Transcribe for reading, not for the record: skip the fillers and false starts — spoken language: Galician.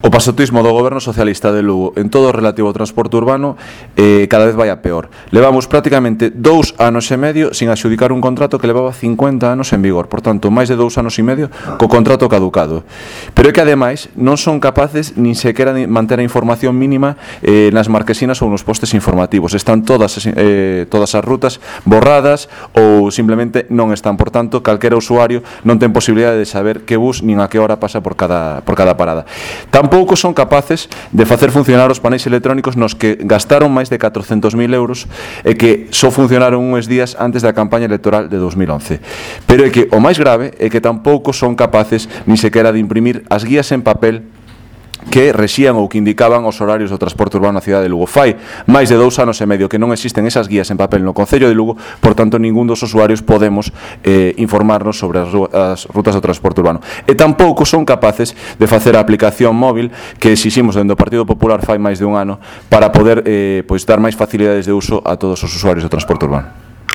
O pasotismo do goberno socialista de Lugo en todo o relativo ao transporte urbano cada vez vai a peor. Levamos prácticamente 2 anos e medio sin adxudicar un contrato que levaba 50 anos en vigor, por tanto, máis de 2 anos e medio co contrato caducado. Pero é que ademais non son capaces nin sequera de manter a información mínima nas marquesinas ou nos postes informativos. Están todas as rutas borradas ou simplemente non están, por tanto, calquera usuario non ten posibilidade de saber que bus nin a que hora pasa por cada parada. Tampouco son capaces de facer funcionar os paneis electrónicos nos que gastaron máis de 400.000 euros e que só funcionaron uns días antes da campaña electoral de 2011. Pero é que o máis grave é que tampouco son capaces nin sequera de imprimir as guías en papel que rexían ou que indicaban os horarios do transporte urbano na cidade de Lugo. Fai máis de 2 anos e medio que non existen esas guías en papel no Concello de Lugo, por tanto, ningún dos usuarios podemos informarnos sobre as rutas do transporte urbano. E tampouco son capaces de facer a aplicación móvil que exiximos dentro do Partido Popular fai máis de un ano para poder dar máis facilidades de uso a todos os usuarios do transporte urbano.